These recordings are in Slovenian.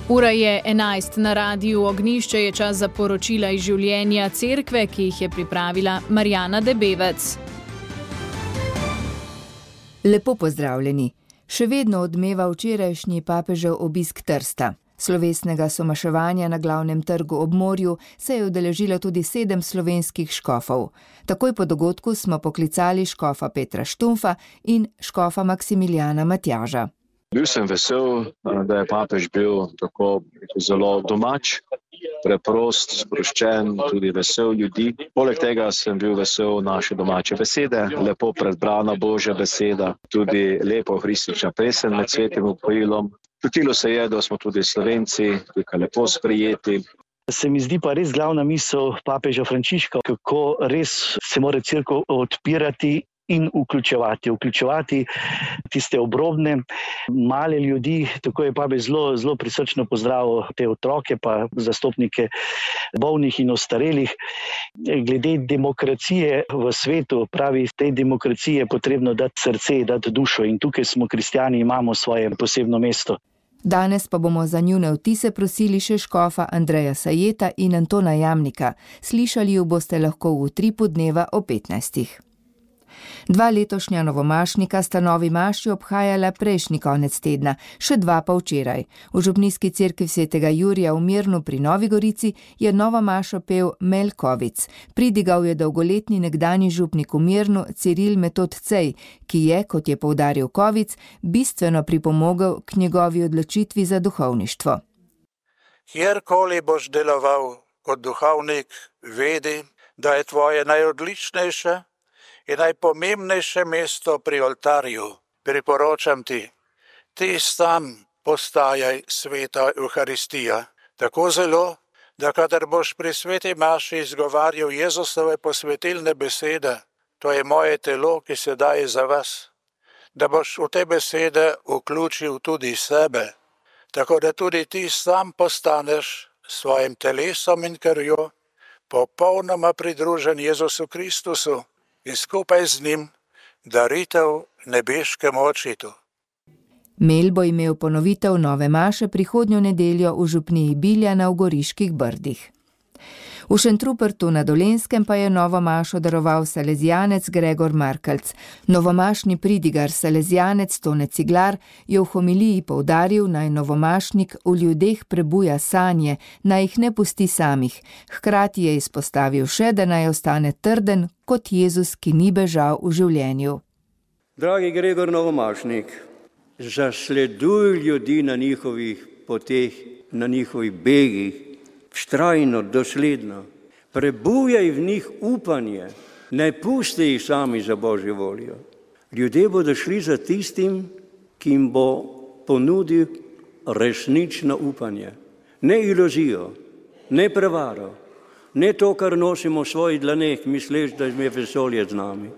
Ura je 11 na Radiu Ognjišče, je čas za poročila iz življenja cerkve, ki jih je pripravila Marjana Debevec. Lepo pozdravljeni. Še vedno odmeva včerajšnji papežev obisk Trsta. Slovesnega somaševanja na glavnem trgu ob morju se je udeležilo tudi 7 slovenskih škofov. Takoj po dogodku smo poklicali škofa Petra Štumfa in škofa Maksimilijana Matjaža. Bil sem vesel, da je papež bil tako zelo domač, preprost, sproščen, tudi vesel ljudi. Poleg tega sem bil vesel naše domače besede, lepo predbrana Božja beseda, tudi lepo hristična pesem med svetim upojilom. Čutilo se je, da smo tudi Slovenci tukaj lepo sprejeti. Se mi zdi pa res glavna misel papeža Frančiška, kako res se mora cerkev odpirati in vključevati tiste obrobne, male ljudi. Tako je papež zelo prisrčno pozdravil te otroke pa zastopnike bolnih in ostarelih. Glede demokracije v svetu, pravi, tej demokraciji je potrebno dati srce, dati dušo in tukaj smo kristjani, imamo svoje posebno mesto. Danes pa bomo za njune vtise prosili še škofa Andreja Sajeta in Antona Jamnika. Slišali ju boste lahko v utripu dneva o 15. 2 letošnja novomašnika sta novi maši obhajala prejšnji konec tedna, še 2 pa včeraj. V župnijski cerkvi svetega Jurija v Mirnu pri Novi Gorici je novo mašo pel Mel Kovic. Pridigal je dolgoletni nekdanji župnik v Mirnu Ciril Metod Cej, ki je, kot je poudaril Kovic, bistveno pripomogel k njegovi odločitvi za duhovništvo. Kjerkoli boš deloval kot duhovnik, vedi, da je tvoje najodličnejše in najpomembnejše mesto pri oltarju. Priporočam ti sam postajaj sveta Euharistija. Tako zelo, da kadar boš pri sveti maši izgovarjal Jezusove posvetilne besede, to je moje telo, ki se daje za vas, da boš v te besede vključil tudi sebe, tako da tudi ti sam postaneš svojim telesom in krvjo popolnoma pridružen Jezusu Kristusu in skupaj z njim daritev nebeškemu očitu. Mel bo imel ponovitev nove maše prihodnjo nedeljo v župniji Biljana v Goriških Brdih. V Šentrupertu na Dolenjskem pa je novo mašo daroval salezijanec Gregor Markelc. Novomašni pridigar salezijanec Tone Ciglar je v homiliji poudaril, naj novomašnik v ljudeh prebuja sanje, naj jih ne pusti samih. Hkrati je izpostavil še, da naj ostane trden kot Jezus, ki ni bežal v življenju. Dragi Gregor Novomašnik, zasleduj ljudi na njihovih poteh, na njihovih begih, vztrajno, dosledno. Prebujaj v njih upanje, ne pusti jih sami za Božjo voljo. Ljudje bodo šli za tistim, ki jim bo ponudil resnično upanje. Ne iluzijo, ne prevaro, ne to, kar nosimo v svojih dlaneh, misleč, da je vesolje z nami.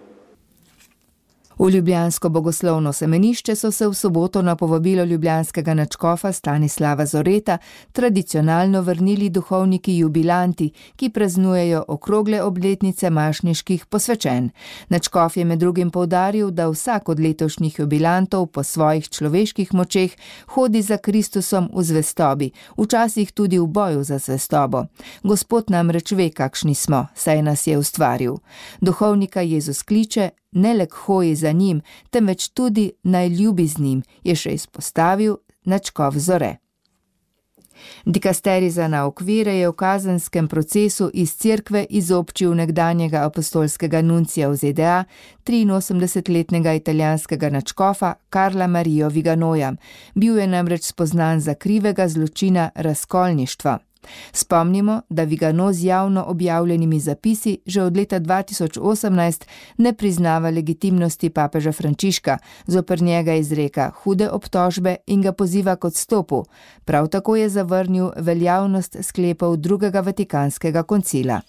V ljubljansko bogoslovno semenišče so se v soboto na povabilo ljubljanskega nadškofa Stanislava Zoreta tradicionalno vrnili duhovniki jubilanti, ki praznujejo okrogle obletnice mašniških posvečenj. Nadškof je med drugim poudaril, da vsak od letošnjih jubilantov po svojih človeških močeh hodi za Kristusom v zvestobi, včasih tudi v boju za zvestobo. Gospod namreč ve, kakšni smo, saj nas je ustvaril. Duhovnika Jezus kliče, ne le k hoji za njim, temveč tudi naj ljubi z njim, je še izpostavil nadškof Zore. Dikasterij za nauk vere je v kazenskem procesu iz cerkve izobčil nekdanjega apostolskega nuncija v ZDA, 83-letnega italijanskega nadškofa Karla Mario Viganoja. Bil je namreč spoznan za krivega zločina razkolništva. Spomnimo, da Vigano z javno objavljenimi zapisi že od leta 2018 ne priznava legitimnosti papeža Frančiška, zoper njega izreka hude obtožbe in ga poziva k odstopu. Prav tako je zavrnil veljavnost sklepov drugega Vatikanskega koncila.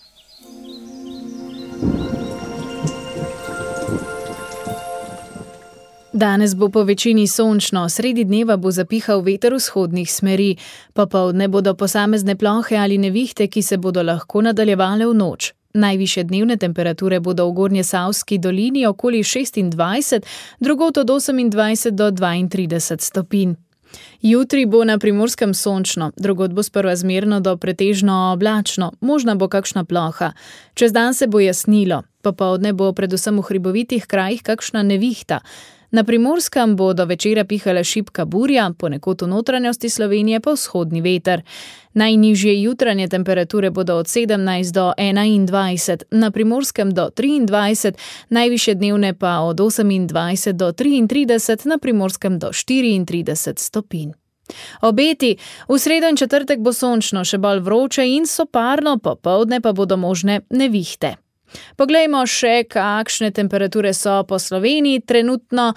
Danes bo po večini sončno, sredi dneva bo zapihal veter vzhodnih smeri, popoldne bodo posamezne plohe ali nevihte, ki se bodo lahko nadaljevale v noč. Najvišje dnevne temperature bodo v Gornjesavski dolini okoli 26, drugod od 28 do 32 stopinj. Jutri bo na Primorskem sončno, drugod bo sprva zmerno do pretežno oblačno, možna bo kakšna ploha. Čez dan se bo jasnilo, popoldne bo predvsem v hribovitih krajih kakšna nevihta. Na Primorskem bo do večera pihala šibka burja, ponekod v notranjosti Slovenije pa vzhodni veter. Najnižje jutranje temperature bodo od 17 do 21, na Primorskem do 23, najvišje dnevne pa od 28 do 33, na Primorskem do 34 stopinj. Obeti: v sredo in četrtek bo sončno, še bolj vroče in soparno, popoldne pa bodo možne nevihte. Poglejmo še, kakšne temperature so po Sloveniji trenutno.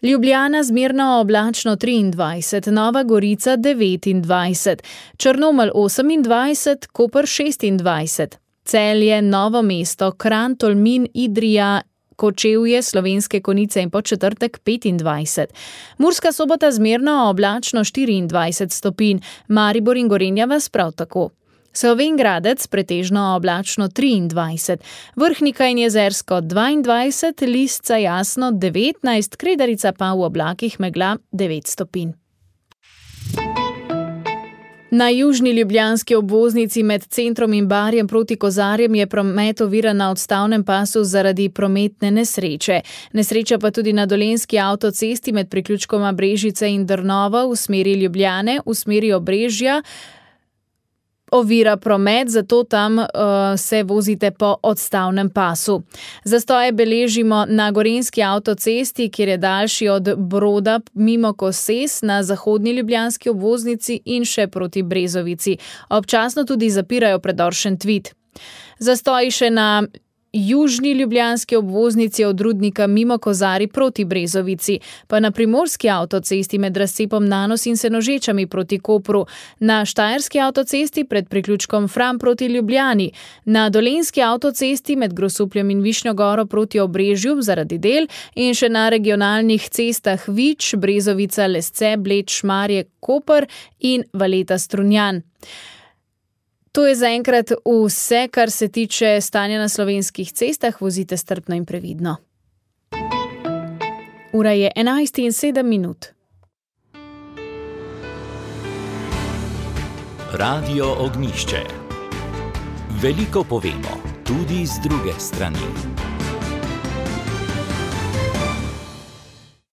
Ljubljana zmerno oblačno 23, Nova Gorica 29, Črnomelj 28, Koper 26, Celje, Novo mesto, Kranj, Tolmin, Idrija, Kočevje, Slovenske Konjice in Podčetrtek 25. Murska Sobota zmerno oblačno 24 stopinj, Maribor in Gorenja vas prav tako. Slovenj Gradec pretežno oblačno 23, Vrhnika in Jezersko 22, Lisca jasno 19, Kredarica pa v oblakih megla 9 stopinj. Na južni ljubljanski obvoznici med centrom in Barjem proti Kozarjem je promet oviran na odstavnem pasu zaradi prometne nesreče. Nesreča pa tudi na dolenjski avtocesti med priključkoma Brežice in Drnova v smeri Ljubljane, v smeri Obrežja. Ovira promet, zato tam se vozite po odstavnem pasu. Zastoje beležimo na gorenjski avtocesti, kjer je daljši od Broda mimo Koses na zahodni ljubljanski obvoznici in še proti Brezovici. Občasno tudi zapirajo predor Šentvid. Zastoji še na južni ljubljanski obvoznici od Rudnika mimo Kozarij proti Brezovici, pa na primorski avtocesti med razcepom Nanos in Senožečami proti Kopru, na štajerski avtocesti pred priključkom Fram proti Ljubljani, na dolenjski avtocesti med Grosupljem in Višnjo Goro proti Obrežju zaradi del in še na regionalnih cestah Vič, Brezovica, Lesce, Bled, Šmarje, Koper in Valeta Strunjan. To je zaenkrat vse, kar se tiče stanja na slovenskih cestah. Vozite strpno in previdno. Ura je 11:07. Radio Ognjišče. Veliko povemo, tudi z druge strani.